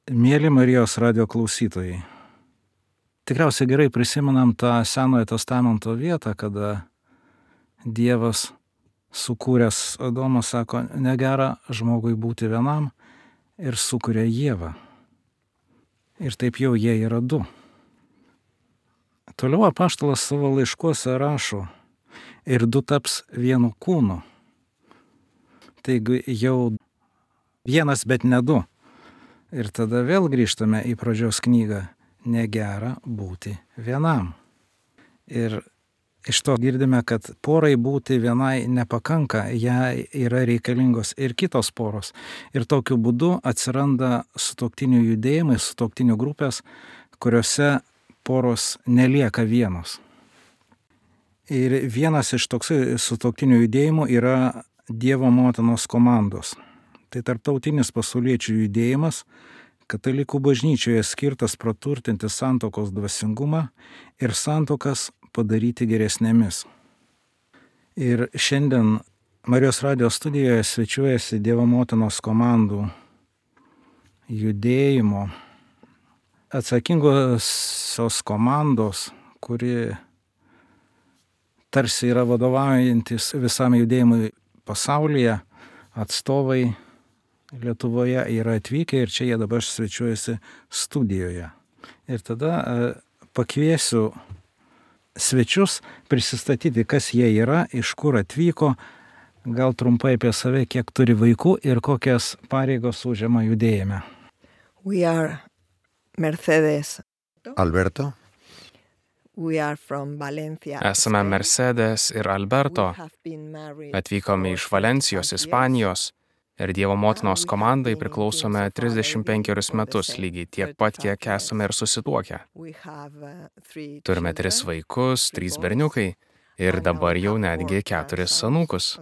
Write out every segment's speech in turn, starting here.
Mėly Marijos radijo klausytojai, tikriausiai gerai prisimenam tą Senojo testamento vietą, kada Dievas sukūręs Adomą sako, negera žmogui būti vienam ir sukuria Ievą. Ir taip jau jie yra du. Toliau apaštalas savo laiškuose rašo, ir du taps vienu kūnu. Taigi jau vienas, bet ne du. Ir tada vėl grįžtame į pradžios knygą. Negera būti vienam. Ir iš to girdime, kad porai būti vienai nepakanka, jai yra reikalingos ir kitos poros. Ir tokiu būdu atsiranda sutuoktinių judėjimai, sutuoktinių grupės, kuriuose poros nelieka vienos. Ir vienas iš toksai sutuoktinių judėjimų yra Dievo motinos komandos. Tai tarptautinis pasauliečių judėjimas, katalikų bažnyčioje skirtas praturtinti santuokos dvasingumą ir santuokas padaryti geresnėmis. Ir šiandien Marijos radijo studijoje svečiuojasi Dievo motinos komandų judėjimo atsakingosios komandos, kuri tarsi yra vadovaujantis visam judėjimui pasaulyje, atstovai Lietuvoje yra atvykę ir čia jie dabar svečiuojasi studijoje. Ir tada pakviesiu svečius prisistatyti, kas jie yra, iš kur atvyko, gal trumpai apie save, kiek turi vaikų ir kokias pareigos užima judėjime. We are Mercedes. Alberto. We are from Valencia. Esame Mercedes ir Alberto. Atvykome iš Valencijos, Ispanijos. Ir Dievo motinos komandai priklausome 35 metus, lygiai tiek pat, kiek esame ir susituokę. Turime 3 vaikus, 3 berniukai ir dabar jau netgi 4 anūkus.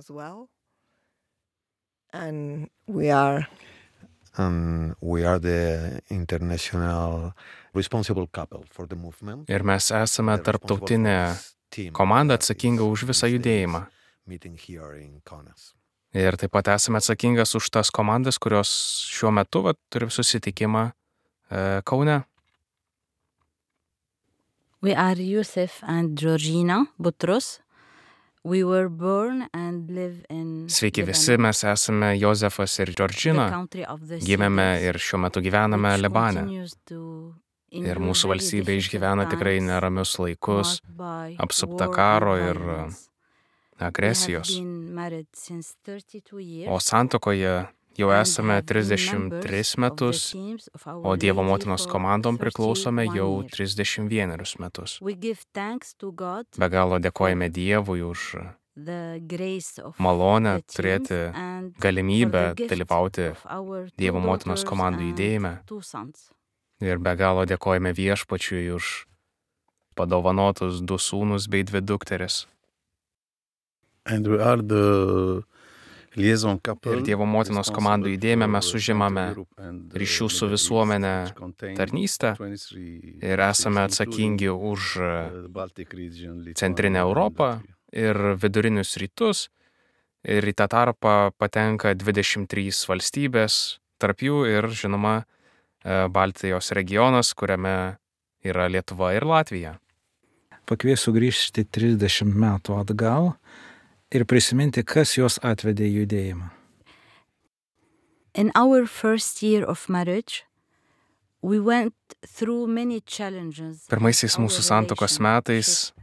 And we are the international responsible couple for the movement. Ir mes esame tarptautinė komanda atsakinga už visą judėjimą. Ir taip pat esame atsakingas už tas komandas, kurios šiuo metu turi susitikimą Kaune. We are Yusuf and Georgina Butros. We were born and live in Sveiki visi, mes esame Jozefas ir Georgina. Gimėme ir šiuo metu gyvename Libane. Ir mūsų valstybė išgyvena tikrai neramius laikus, apsupta karo ir agresijos. O santuokoje jau esame 33 metus, o Dievo motinos komandom priklausome jau 31 metus. Be galo dėkojame Dievui už malonę turėti galimybę dalyvauti Dievo motinos komandų judėjime. Ir be galo dėkojame Viešpačiui už padovanotus 2 sūnus bei 2 dukteris. And we are the liaison couple. Ir Dievo motinos komandų judėjime mes užimame ryšių su visuomenė tarnystę ir esame atsakingi už Centrinę Europą ir Vidurinius rytus. Ir į tą tarpą patenka 23 valstybės, tarp jų ir, žinoma, Baltijos regionas, kuriame yra Lietuva ir Latvija. Pakviesiu grįžti 30 metų atgal ir prisiminti, kas juos atvedė į judėjimą. In our first year of marriage, we went through many challenges. Pirmaisiais mūsų santuokos metais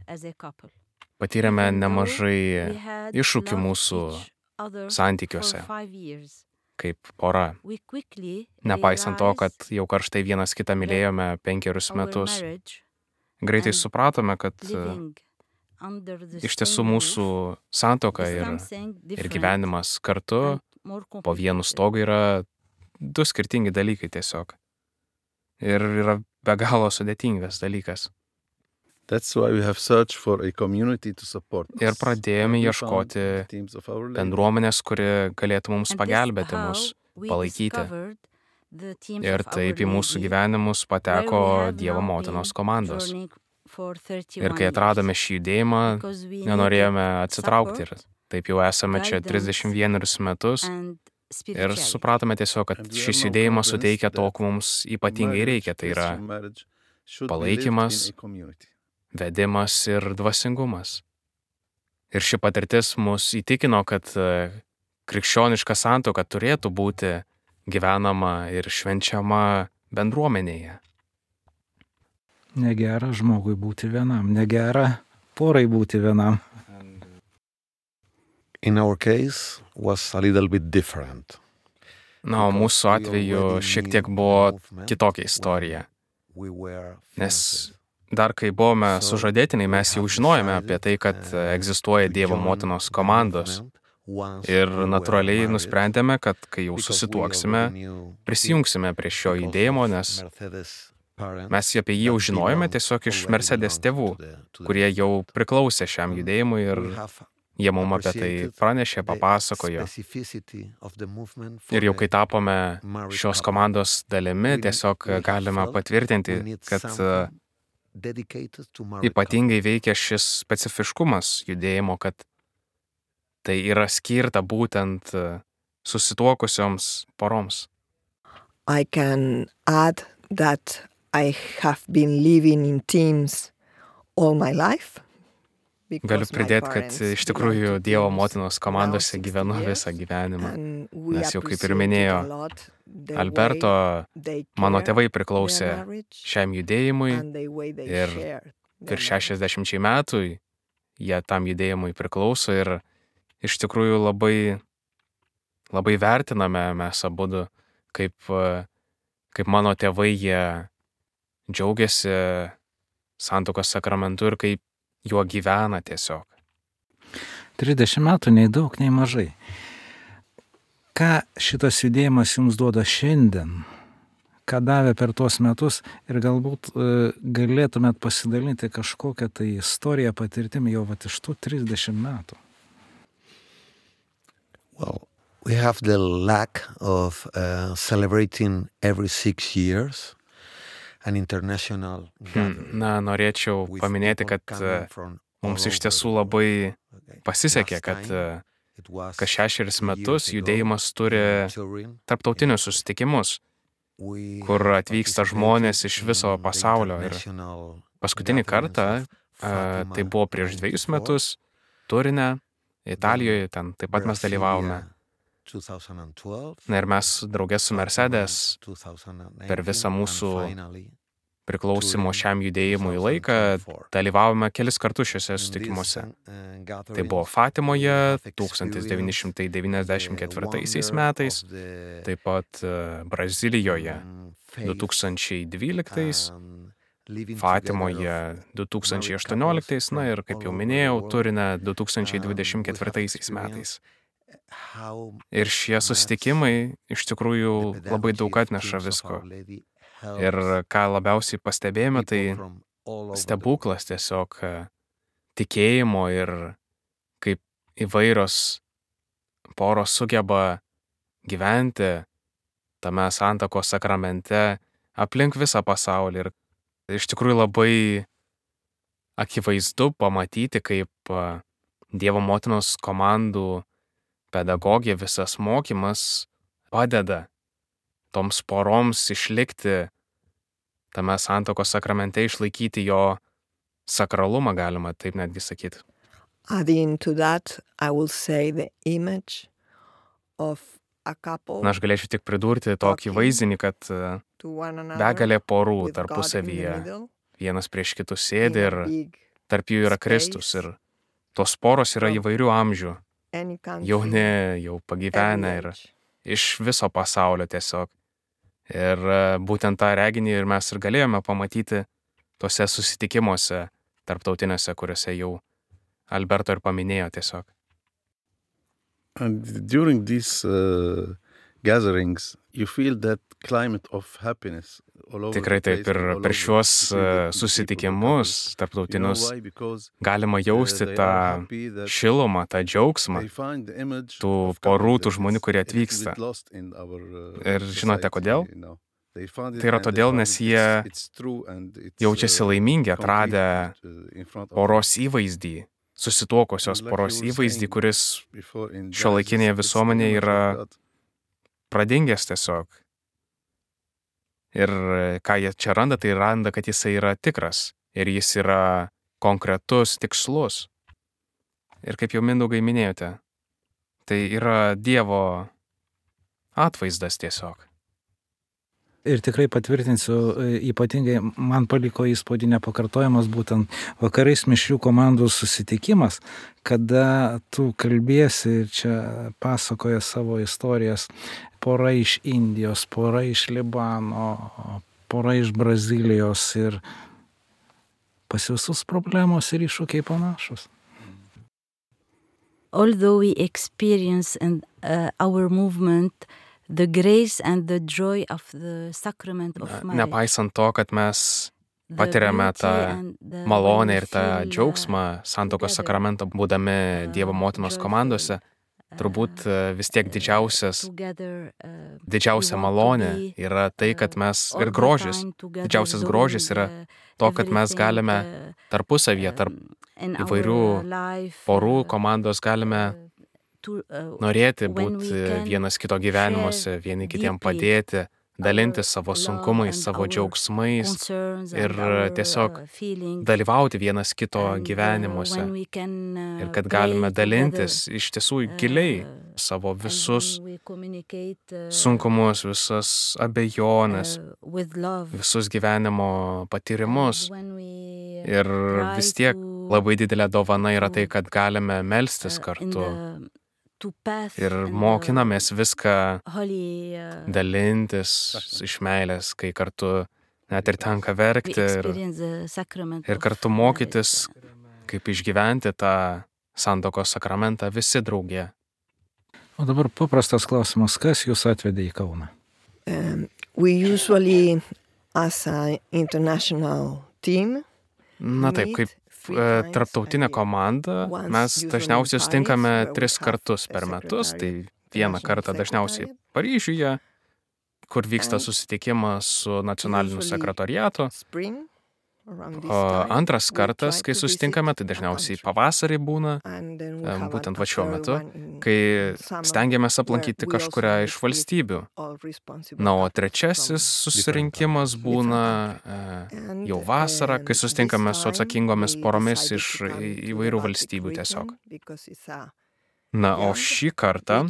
patyrėme nemažai iššūkių mūsų santykiuose kaip pora. Nepaisant to, kad jau karštai vienas kitą mylėjome 5 metus, greitai supratome, kad iš tiesų mūsų santuoka ir gyvenimas kartu po vienu stogu yra 2 skirtingi dalykai tiesiog. Ir yra be galo sudėtingas dalykas. That's why we have searched for a community to support us. Ir pradėjome ieškoti bendruomenės, kuri galėtų mums pagelbėti, mus palaikyti. Ir taip į mūsų gyvenimus pateko Dievo motinos komandos. Ir kai atradome šį judėjimą, nenorėjome atsitraukti ir taip jau esame čia 31 metus spirituality. supratome tiesiog, kad šis judėjimas suteikia to, ko mums ypatingai reikia. Tai yra palaikymas, vedimas ir dvasingumas. Ir ši patirtis mus įtikino, kad krikščioniška santuoka turėtų būti gyvenama ir švenčiama bendruomenėje. Negera žmogui būti vienam, negera porai būti vienam. In our case was a little bit different. Na, o mūsų atveju šiek tiek buvo kitokia istorija. Nes dar kai buvome sužadėtiniai, mes jau žinojome apie tai, kad egzistuoja Dievo motinos komandos. Ir natūraliai nusprendėme, kad kai jau susituoksime, prisijungsime prie šio judėjimo, nes mes apie jį jau žinojome tiesiog iš Mercedes tėvų, kurie jau priklausė šiam judėjimui ir jie mums apie tai pranešė, papasakojo. Ir jau kai tapome šios komandos dalimi, tiesiog galime patvirtinti, kad ypatingai veikia šis specifiškumas judėjimo, kad tai yra skirta būtent susituokusioms poroms. I can add that I have been living in teams all my life. Galiu pridėti, kad iš tikrųjų Dievo motinos komandose gyvenu visą gyvenimą. Nes jau kaip ir minėjo Alberto, mano tėvai priklausė šiam judėjimui ir virš 60 metų jie tam judėjimui priklauso ir iš tikrųjų labai vertiname mes abudu, kaip mano tėvai jie džiaugiasi santuokos sakramentu ir kaip juo gyvena tiesiog. 30 metų nei daug, nei mažai. Ką šitas judėjimas jums duoda šiandien? Ką davė per tuos metus? Ir galbūt galėtumėt pasidalinti kažkokią tai istoriją, patirtimį jau iš tų 30 metų. Well, we have the lack of celebrating every 6 years an international gathering. Na, norėčiau paminėti, kad mums iš tiesų labai pasisekė, kad kas 6 metus judėjimas turi tarptautinius susitikimus, kur atvyksta žmonės iš viso pasaulio. Ir paskutinį kartą, tai buvo prieš 2 metus, Turine, Italijoje, ten taip pat mes dalyvavome. Na ir mes draugė su Mercedes per visą mūsų priklausimo šiam judėjimui laiką dalyvavome kelis kartus šiuose susitikimuose. Tai buvo Fatimoje 1994 metais, taip pat Brazilijoje 2012, Fatimoje 2018, na ir kaip jau minėjau, Turine 2024 metais. Ir šie susitikimai iš tikrųjų labai daug atneša visko. Ir ką labiausiai pastebėjome, tai stebuklas tiesiog tikėjimo ir kaip įvairios poros sugeba gyventi tame santuokos sakramente aplink visą pasaulį. Ir iš tikrųjų labai akivaizdu pamatyti, kaip Dievo motinos komandų pedagogija, visas mokymas padeda toms poroms išlikti tame santuokos sakramente, išlaikyti jo sakralumą, galima taip netgi sakyti. Adding to that, I will say the image of a couple Na, aš galėčiau tik pridurti tokį vaizdinį, kad to one another begalė porų with God in the tarpusavyje middle, vienas prieš kitus sėdi ir in a big tarp jų yra Kristus. Ir tos poros yra įvairių amžių, any country, jauni, jau pagyvenę ir every age. iš viso pasaulio tiesiog. Ir būtent tą reginį ir mes ir galėjome pamatyti tose susitikimuose tarptautiniuose, kuriuose jau Alberto ir paminėjo tiesiog. And during these gatherings, you feel that climate of happiness all over Tikrai the taip, place ir and all per over šiuos the city, the susitikimus people, you know tarptautinius why? Because galima jausti they tą are happy that šilumą, tą džiaugsmą they find the image tų of porų, couple tų that žmonių, is kurie a little bit atvyksta. lost in our, Ir žinote society, kodėl? you know. They found it Tai yra and they todėl, found nes it, jie it's true and it's, jaučiasi laimingi, atradę concrete, in front of poros įvaizdį, susituokusios Like poros you were įvaizdį, saying kuris before in šiuolaikinėje Genesis, it's the visuomenėje image yra of God. pradingęs tiesiog. Ir ką jie čia randa, tai randa, kad jisai yra tikras. Ir jis yra konkretus, tikslus. Ir kaip jau Mindaugai minėjote, tai yra Dievo atvaizdas tiesiog. Ir tikrai patvirtinsiu, ypatingai man paliko įspūdį nepakartojamas būtent vakarais mišrių komandų susitikimas, kada tu kalbėsi ir čia pasakoja savo istorijas, pora iš Indijos, pora iš Libano, pora iš Brazilijos ir pas visus problemos ir iššūkiai panašus. Although we experience in our movement the grace and the joy of the sacrament of marriage. Nepaisant to, kad mes patiriame tą malonę ir tą džiaugsmą santuokos sakramento būdami Dievo motinos komandose, turbūt vis tiek didžiausia malonė yra tai, kad mes ir grožis, didžiausias grožis yra to, kad mes galime tarpusavyje, tarp įvairių porų komandos galime norėti būti vienas kito gyvenimuose, vieni kitiem padėti, dalintis savo sunkumais, savo džiaugsmais ir tiesiog dalyvauti vienas kito gyvenimuose. Ir kad galime dalintis iš tiesų giliai savo visus sunkumus, visas abejonės, visus gyvenimo patyrimus. Ir vis tiek labai didelė dovana yra tai, kad galime melstis kartu. Ir mokinamės viską dalintis iš meilės, kai kartu net ir tenka verkti ir kartu mokytis, kaip išgyventi tą santuokos sakramentą visi drauge. O dabar paprastas klausimas, kas jūs atvedė į Kauną? We usually, as an international team, Na taip, kaip tarptautinė komanda, mes dažniausiai sutinkame 3 kartus per metus, tai vieną kartą dažniausiai Paryžiuje, kur vyksta susitikimas su nacionaliniu sekretoriatu, o antras kartas, kai susitinkame, tai dažniausiai pavasarį būna, būtent va šiuo metu, kai stengiamės aplankyti kažkurią iš valstybių. Na, o trečiasis susirinkimas būna jau vasarą, kai susitinkame su atsakingomis poromis iš įvairių valstybių tiesiog. Na, o šį kartą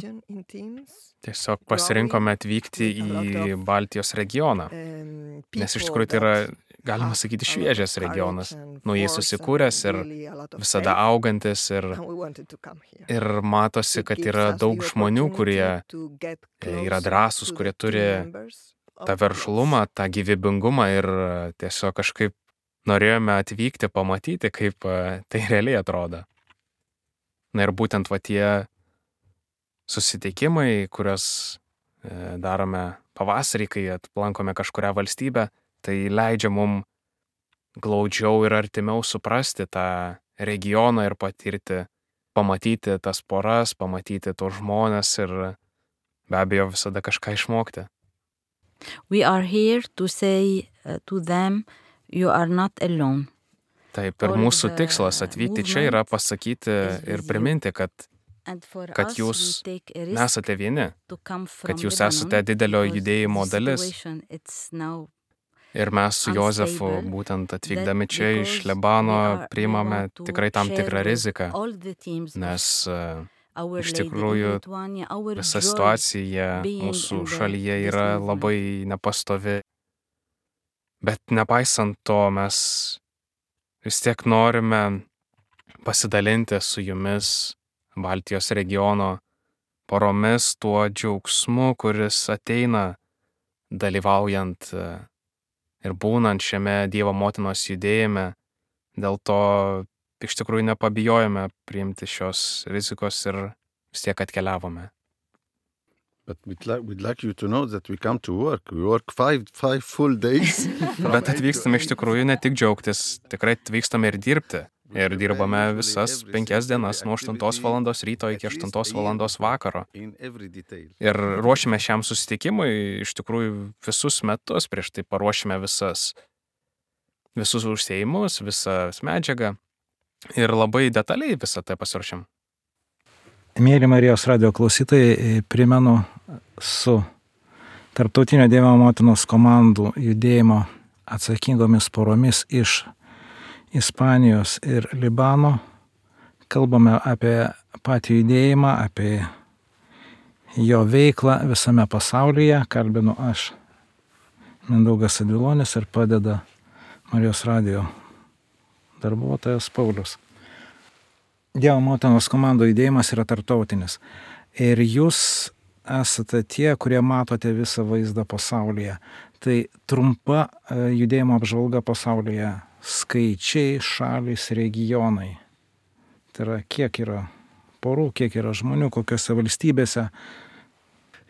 tiesiog pasirinkome atvykti į Baltijos regioną, nes iš tikrųjų tai yra, galima sakyti, šviežias regionas, naujai susikūręs ir visada augantis ir matosi, kad yra daug žmonių, kurie yra drąsūs, kurie turi tą veržlumą, tą gyvybingumą ir tiesiog kažkaip norėjome atvykti, pamatyti, kaip tai realiai atrodo. Na ir būtent va tie susitikimai, kuriuos darome pavasarį, kai aplankome kažkurią valstybę, tai leidžia mum glaudžiau ir artimiau suprasti tą regioną ir pamatyti tas poras, pamatyti tos žmonės ir be abejo visada kažką išmokti. We are here to say to them, you are not alone. Taip, ir mūsų tikslas atvykti čia yra pasakyti ir priminti, kad jūs nesate vieni, kad jūs esate didelio judėjimo dalis. Ir mes su Jozefu, būtent atvykdami čia iš Libano, priimame tikrai tam tikrą riziką, nes iš tikrųjų visa situacija mūsų šalyje yra labai nepastovi. Bet nepaisant to, mes vis tiek norime pasidalinti su jumis Baltijos regiono poromis tuo džiaugsmu, kuris ateina dalyvaujant ir būnant šiame Dievo motinos judėjime. Dėl to iš tikrųjų nepabijojome priimti šios rizikos ir vis tiek atkeliavome. But we'd like you to know that we come to work. We work 5 full days. Bet atvykstame iš tikrųjų ne tik džiaugtis, tikrai atvykstame ir dirbti. Ir dirbame visas 5 dienas nuo 8 valandos ryto iki 8 valandos vakaro. Ir ruošime šiam susitikimui iš tikrųjų visus metus, prieš tai paruošime visus užsiėjimus, visas medžiagą ir labai detaliai visą tai pasiruošim. Mėly Marijos radijo klausytojai, primenu su Tarptautinio Dievo motinos komandų judėjimo atsakingomis poromis iš Ispanijos ir Libano. Kalbame apie patį judėjimą, apie jo veiklą visame pasaulyje. Kalbinu aš, Mindaugas Advilonis, ir padeda Marijos radijo darbuotojas Paulius. Dievo motinos komandų judėjimas yra tarptautinis. Ir jūs esate tie, kurie matote visą vaizdą pasaulyje. Tai trumpa judėjimo apžvalga pasaulyje. Skaičiai, šalys, regionai. Tai yra, kiek yra porų, kiek yra žmonių, kokiose valstybėse.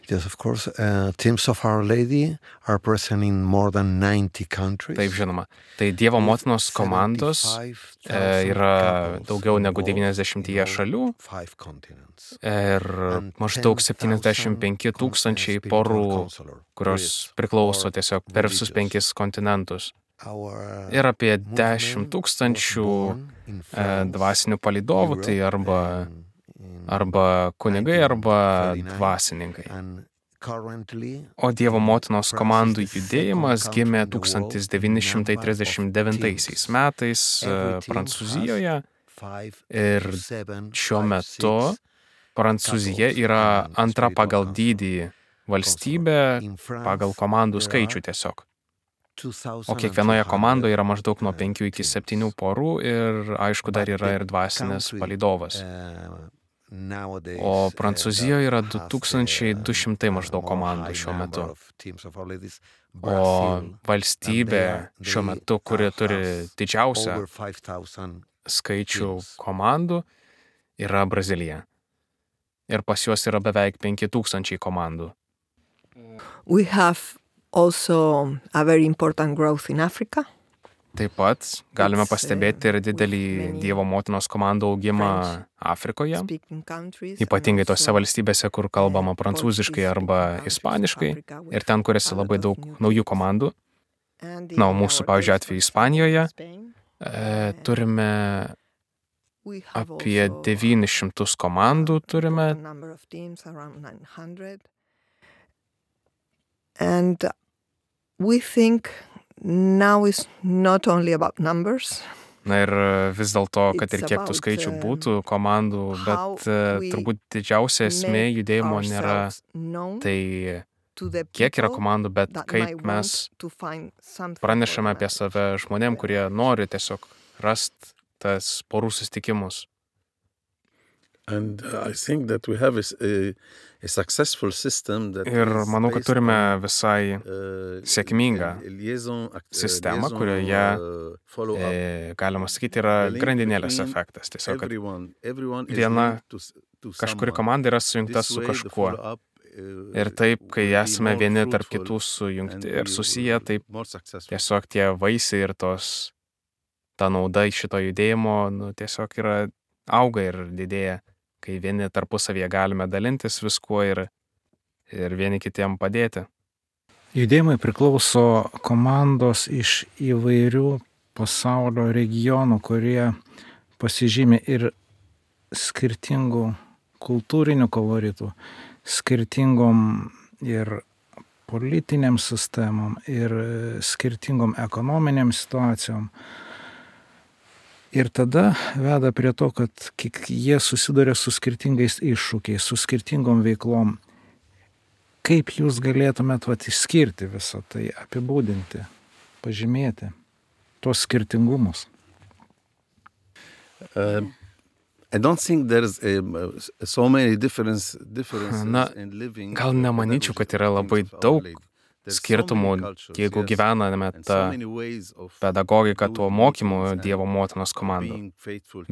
Yes, of course. Teams of Our Lady are present in more than 90 countries. Taip, žinoma. Tai Dievo motinos komandos yra daugiau negu 90 šalių ir maždaug 75 000 porų, kurios priklauso tiesiog per visus 5 kontinentus. Ir apie 10 000 dvasinių palydovų, tai arba kunigai, arba dvasininkai. O Dievo motinos komandų judėjimas gimė 1939 metais Prancūzijoje ir šiuo metu Prancūzija yra antra pagal dydį valstybė pagal komandų skaičių tiesiog. O kiekvienoje komandoje yra maždaug nuo 5 iki 7 porų ir aišku dar yra ir dvasinis palydovas. O Prancūzijoje yra 2200 maždaug komandų šiuo metu. O valstybė šiuo metu, kuri turi didžiausią skaičių komandų, yra Brazilija. Ir pas juos yra beveik 5000 komandų. We have also a very important growth in Africa. Taip pat galime pastebėti ir didelį Dievo motinos komandų augimą Afrikoje, ypatingai tose valstybėse, kur kalbama prancūziškai arba ispaniškai, ir ten kuriasi labai daug naujų komandų. Na, o mūsų, pavyzdžiui, atveju Ispanijoje turime apie 900 komandų turime. And we think now is not only about numbers. Na ir vis dėlto, kad ir kiek tų skaičių būtų komandų, bet turbūt didžiausia esmė judėjimo nėra tai, kiek yra komandų, bet kaip mes pranešame apie save žmonėm, kurie nori tiesiog rasti tas porų susitikimus. And I think that we have a successful system that Ir manau, kad turime visai sėkmingą sistemą, kurioje, galima sakyti, yra grandinėlės efektas. Tiesiog, kad viena kažkuri komanda yra sujungta su kažkuo. Ir taip, kai esame vieni tarp kitų sujungti ir susiję, taip tiesiog tie vaisiai ir ta nauda iš šito judėjimo tiesiog yra auga ir didėja, kai vieni tarpusavyje galime dalintis viskuo ir vieni kitiem padėti. Judėjimai priklauso komandos iš įvairių pasaulio regionų, kurie pasižymi ir skirtingų kultūrinių koloritų, skirtingom ir politiniam sistemom, ir skirtingom ekonominiam situacijom. Ir tada veda prie to, kad jie susiduria su skirtingais iššūkiais, su skirtingom veiklom. Kaip jūs galėtumėt išskirti visą tai, apibūdinti, pažymėti tuos skirtingumus? I don't think there's so many differences in living. Gal nemanyčiau, kad yra labai daug skirtumų, jeigu gyvename tą pedagogiką, tuo mokymu Dievo motinos komandų.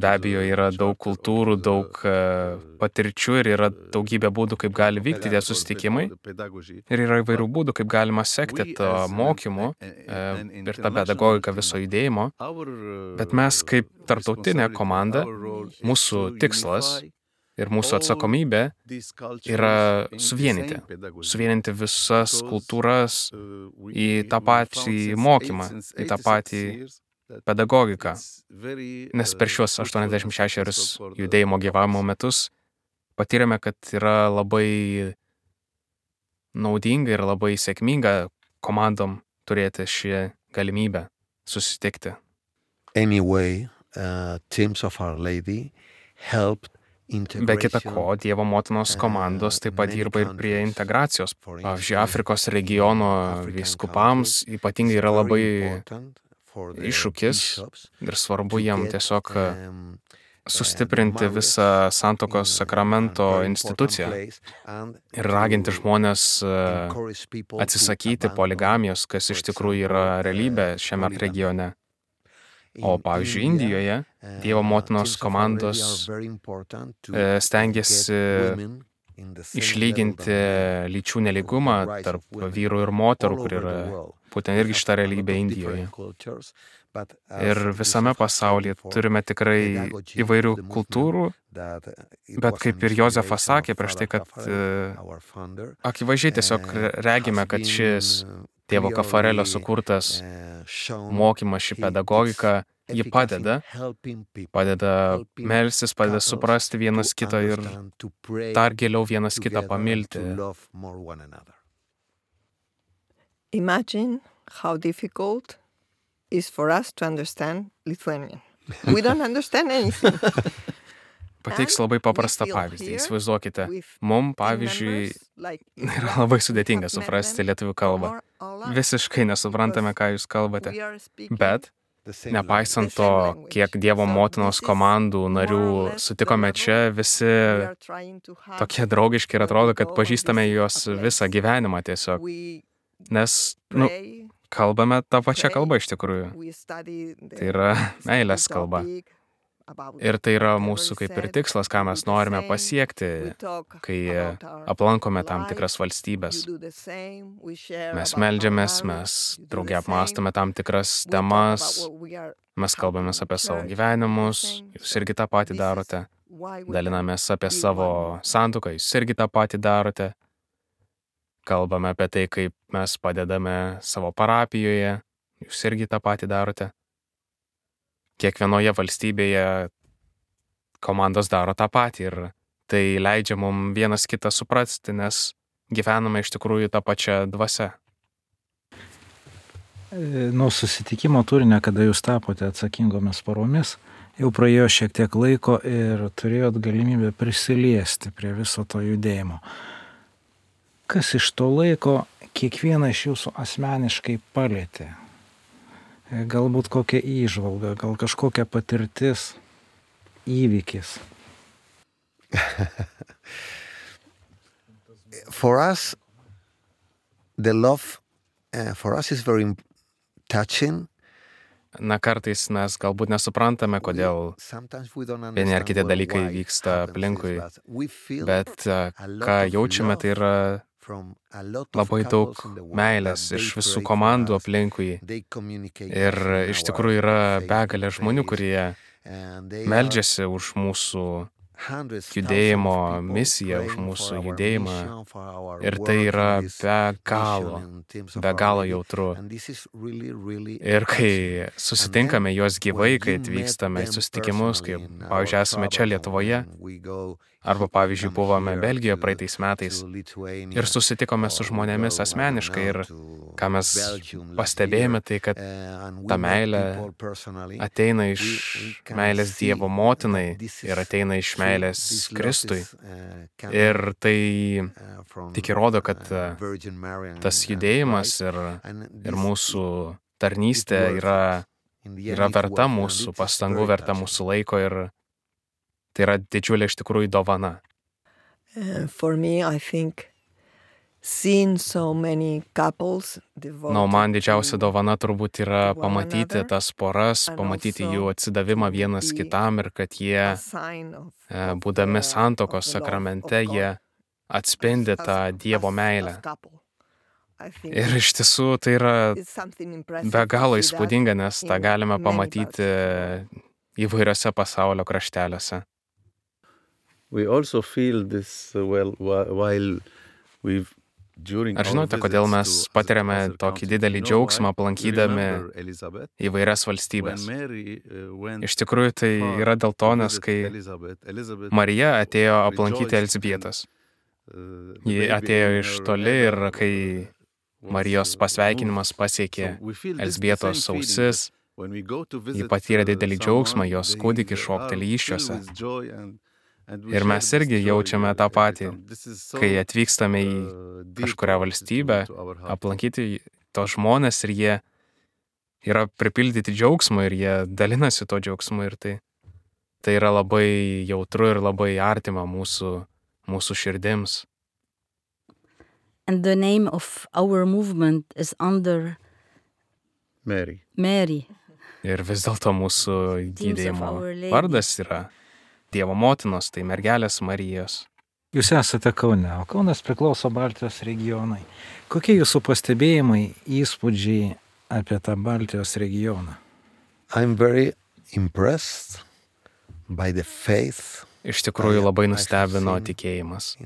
Be abejo, yra daug kultūrų, daug patirčių ir yra daugybė būdų, kaip gali vykti tie susitikimai. Ir yra įvairių būdų, kaip galima sekti to mokymu ir tą pedagogiką viso judėjimo. Bet mes kaip tarptautinė komanda, mūsų tikslas ir mūsų atsakomybė yra suvienyti visas kultūras į tą patį mokymą, į tą patį pedagogiką. Nes per šiuos 86 judėjimo gyvavimo metus patyrėme, kad yra labai naudinga ir labai sėkminga komandom turėti šį galimybę susitikti. Anyway, teams of Our Lady helped Be kita ko, Dievo motinos komandos taip pat dirba ir prie integracijos. Pavyzdžiui, Afrikos regiono vyskupams ypatingai yra labai iššūkis ir svarbu jiem tiesiog sustiprinti visą santuokos sakramento instituciją ir raginti žmonės atsisakyti poligamijos, kas iš tikrųjų yra realybė šiame regione. O pavyzdžiui, Indijoje Dievo motinos komandos stengiasi išlyginti lyčių nelygumą tarp vyrų ir moterų, kur yra būtent irgi šita realybė Indijoje. Ir visame pasaulyje turime tikrai įvairių kultūrų, bet kaip ir Jozefas sakė prieš tai, kad akivaizdžiai tiesiog regime, kad šis tėvo Kafarelio sukurtas mokymas, ši pedagogika, ji padeda melstis, padeda suprasti vienas kitą ir dar giliau vienas kitą pamilti. Imagine how difficult is for us to understand Lithuanian. We don't understand anything. Pateiksiu labai paprastą pavyzdį. Įsivaizduokite, mums, pavyzdžiui, yra labai sudėtinga suprasti lietuvių kalbą. Visiškai nesuprantame, ką jūs kalbate. Bet, nepaisant to, kiek Dievo motinos komandų narių sutikome čia, visi tokie draugiški ir atrodo, kad pažįstame juos visą gyvenimą tiesiog. Nes, kalbame tą pačią kalbą iš tikrųjų. Tai yra meilės kalba. Ir tai yra mūsų kaip ir tikslas, ką mes norime pasiekti, kai aplankome tam tikras valstybės. Mes meldžiamės, mes drauge apmąstome tam tikras temas, mes kalbamės apie savo gyvenimus, jūs irgi tą patį darote, dalinamės apie savo santuoką, jūs irgi tą patį darote, kalbame apie tai, kaip mes padedame savo parapijoje, jūs irgi tą patį darote. Kiekvienoje valstybėje komandos daro tą patį ir tai leidžia mums vienas kitą suprasti, nes gyvename iš tikrųjų tą pačią dvasią. Nuo susitikimo turinio, kada jūs tapote atsakingomis poromis, jau praėjo šiek tiek laiko ir turėjot galimybę prisiliesti prie viso to judėjimo. Kas iš to laiko kiekvieną iš jūsų asmeniškai palietė? Galbūt kokia įžvalga, gal kažkokia patirtis, įvykis. For us, the love for us is very touching. Na, kartais mes galbūt nesuprantame, kodėl vieni ar kiti dalykai vyksta aplinkui, bet ką jaučiame, tai yra labai daug meilės iš visų komandų aplinkui. Ir iš tikrųjų yra begalė žmonių, kurie meldžiasi už mūsų judėjimo misiją, už mūsų judėjimą. Ir tai yra be galo jautru. Ir kai susitinkame juos gyvai, kai atvykstame į susitikimus, kai, pavyzdžiui, esame čia Lietuvoje, arba, pavyzdžiui, buvome Belgijoje praeitais metais ir susitikome su žmonėmis asmeniškai ir ką mes pastebėjome, tai kad ta meilė ateina iš meilės Dievo motinai ir ateina iš meilės Kristui. Ir tai tik įrodo, kad tas judėjimas ir mūsų tarnystė yra verta mūsų pastangų, verta mūsų laiko ir tai yra didžiulė iš tikrųjų dovana. For me, I think seeing so many couples devoted. Man didžiausia dovana turbūt yra pamatyti tas poras, pamatyti jų atsidavimą vienas kitam ir kad jie, būdami santuokos sakramente, jie atspindi tą Dievo meilę. Ir iš tiesų tai yra be galo įspūdinga, nes tą galime pamatyti įvairiose pasaulio krašteliuose. We also feel this Ar žinote, kodėl mes patiriame tokį didelį džiaugsmą aplankydami įvairias valstybės? Iš tikrųjų tai yra dėl to, nes kai Marija atėjo aplankyti Elzbietos, Ji atėjo iš toli ir kai Marijos pasveikinimas pasiekė Elzbietos ausis, ji patyrė didelį džiaugsmą, jos kūdikis šokteli įsčiose. Ir mes irgi jaučiame tą patį, kai atvykstame į kažkurią valstybę, aplankyti tos žmonės ir jie yra pripildyti džiaugsmo ir jie dalinasi to džiaugsmu ir tai yra labai jautru ir labai artima mūsų širdims. And the name of our movement is under Mary. Ir vis dėlto mūsų judėjimo vardas yra Dievo motinos, tai mergelės Marijos. Jūs esate Kaune, o Kaunas priklauso Baltijos regionai. Kokie jūsų pastebėjimai, įspūdžiai apie tą Baltijos regioną? I'm very impressed by the faith. Iš tikrųjų labai nustebino tikėjimas.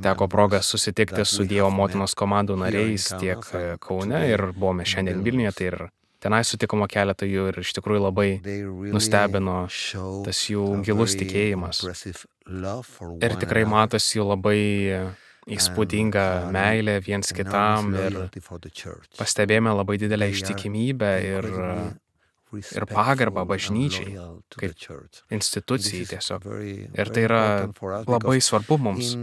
Teko proga susitikti su Dievo motinos komandų nariais tiek Kaune ir buvome šiandien Vilniuje, tai ir tenai sutikome keletą jų ir iš tikrųjų labai nustebino tas jų gilus tikėjimas. Ir tikrai matosi jų labai įspūdinga meilė viens kitam ir pastebėjome labai didelę ištikimybę ir pagarbą bažnyčiai, kaip institucijai tiesiog. Ir tai yra labai svarbu mums.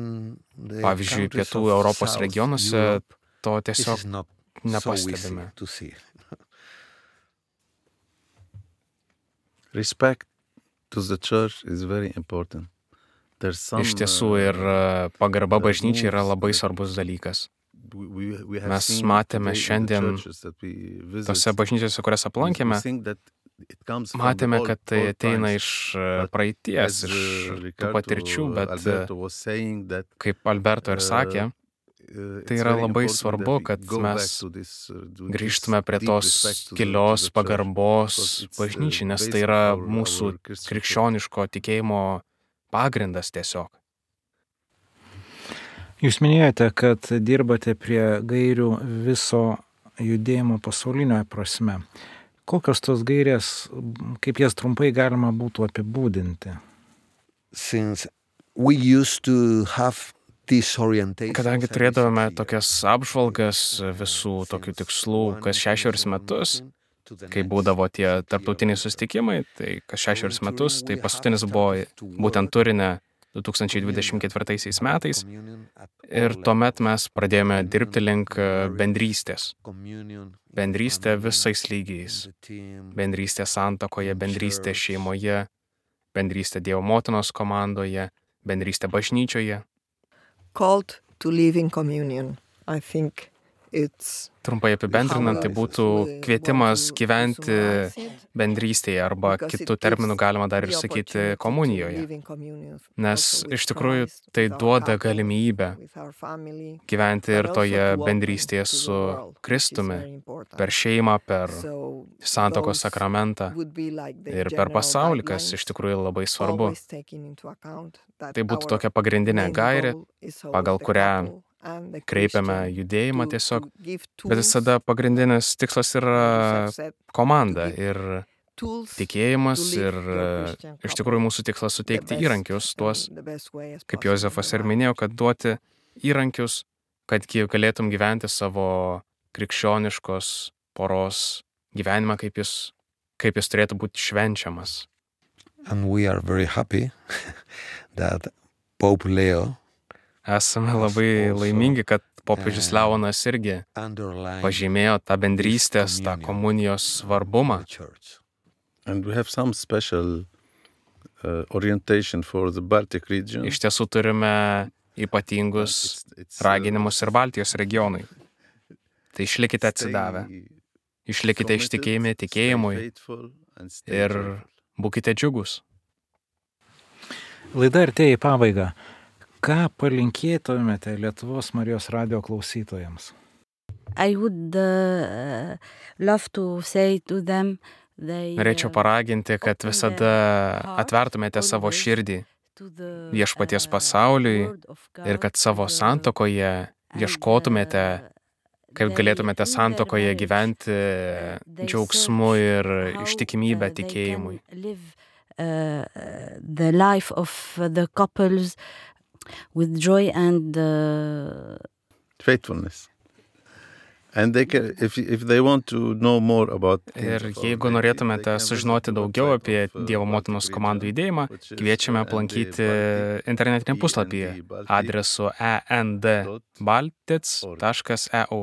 Pavyzdžiui, pietų Europos regionuose to tiesiog nepastebime. Respect to the church is very important. Iš tiesų ir pagarba bažnyčiai yra labai svarbus dalykas. Mes matėme šiandien tose bažnyčiose, kurias aplankėme, matėme, kad tai ateina iš praeities, iš tų patirčių, bet kaip Alberto ir sakė, tai yra labai svarbu, kad mes grįžtume prie tos gilios pagarbos bažnyčiai, nes tai yra mūsų krikščioniško tikėjimo pagrindas tiesiog. Jūs minėjote, kad dirbate prie gairių viso judėjimo pasaulinio prasme. Kokios tos gairės, kaip jas trumpai galima būtų apibūdinti? Kadangi turėdavome tokias apžvalgas visų tokių tikslų kas 6 metus, kai būdavo tie tarptautiniai susitikimai, tai kas 6 metus, tai paskutinis buvo būtent Turine 2024 metais ir tuomet mes pradėjome dirbti link bendrystės. Bendrystė visais lygiais. Bendrystė santuokoje, bendrystė šeimoje, bendrystė Dievo motinos komandoje, bendrystė bažnyčioje. Called to live in communion. I think it's Trumpai apibendrinant, tai būtų kvietimas gyventi bendrystėje arba kitų terminų galima dar ir sakyti komunijoje. Nes iš tikrųjų tai duoda galimybę gyventi ir toje bendrystėje su Kristumi, per šeimą, per santuokos sakramentą ir per pasaulį, kas iš tikrųjų labai svarbu. Tai būtų tokia pagrindinė gairė, pagal kurią kreipiame judėjimą tiesiog, bet visada pagrindinis tikslas yra komanda ir tikėjimas ir iš tikrųjų mūsų tikslas suteikti įrankius tuos, kaip Jozefas ir minėjo, kad duoti įrankius, kad galėtum gyventi savo krikščioniškos poros gyvenimą, kaip jis turėtų būti švenčiamas. And we are very happy that Pope Leo Esame labai laimingi, kad popiežius Leonas irgi pažymėjo tą bendrystės, tą komunijos svarbumą. And we have some special orientation for the Baltic region. Iš tiesų turime ypatingus raginimus ir Baltijos regionui. Tai išlikite atsidavę, išlikite ištikėjimi tikėjimui ir būkite džiugus. Laida artėja į pabaigą. Ką palinkėtumėte Lietuvos Marijos radijo klausytojams? I would love to say to them Norėčiau paraginti, kad visada atvertumėte savo širdį viešpaties pasauliui ir kad savo santuokoje ieškotumėte, kaip galėtumėte santuokoje gyventi džiaugsmu ir ištikimybę tikėjimui. The life of the couples with joy and faithfulness. And they can, if they want to know more about Ir jeigu norėtumėte sužinoti daugiau apie Dievo motinos komandų judėjimą, kviečiame aplankyti internetinį puslapį adresu endbaltic.eu.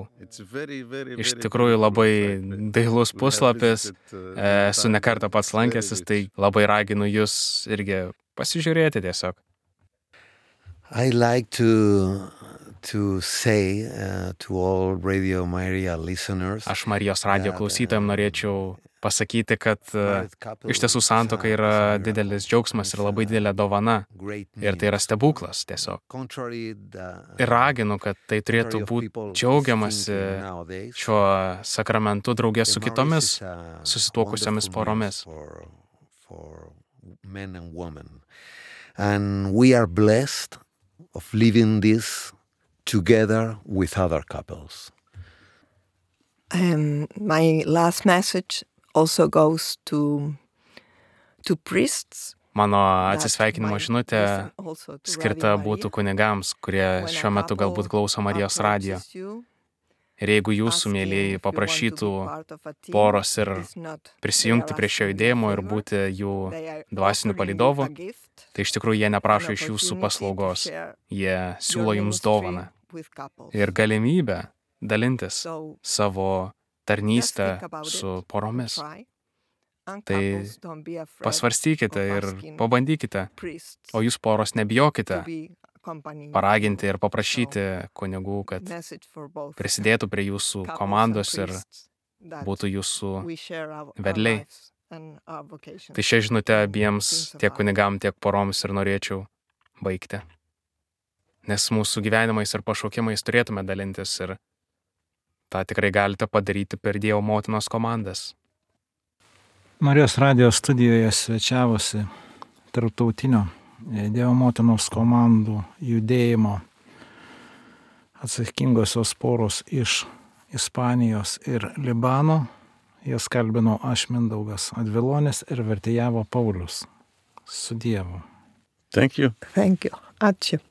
Iš tikrųjų labai dailus puslapis, esu ne kartą pats lankęsis, tai labai raginu jūs irgi pasižiūrėti tiesiog. I like to say to all Radio Maria listeners. Aš Marijos radijo klausytojams norėčiau pasakyti, kad iš tiesų santuoka yra didelis džiaugsmas ir labai didelė dovana. Ir tai yra stebuklas tiesiog. Ir raginu, kad tai turėtų būti džiaugiamasi šiuo sakramentu draugės su kitomis susituokusiomis poromis. And we are blessed of living this together with other couples. My last message also goes to priests. Mano atsisveikinimo žinutė skirta būtų kunigams, kurie šiuo metu galbūt klauso Marijos radijo. Ir jeigu jūsų mėlėjai paprašytų poros ir prisijungti prie šio judėjimo ir būti jų dvasiniu palydovu, tai iš tikrųjų jie neprašo iš jūsų paslaugos. Jie siūlo jums dovaną ir galimybę dalintis savo tarnystę su poromis. Tai pasvarstykite ir pabandykite, o jūs poros nebijokite paraginti ir paprašyti kunigų, kad prisidėtų prie jūsų komandos ir būtų jūsų vedliai. Tai šią žinutę abiems, tiek kunigam, tiek poroms ir norėčiau baigti. Nes mūsų gyvenimais ir pašaukimais turėtume dalintis ir tą tikrai galite padaryti per Dievo motinos komandas. Marijos radijo studijoje svečiavosi tarptautinio Dievo motinos komandų judėjimo atsakingosios poros iš Ispanijos ir Libano. Jas kalbino aš Mindaugas Advilonis ir vertėjavo Paulius. Su Dievu. Thank you. Thank you. Ačiū.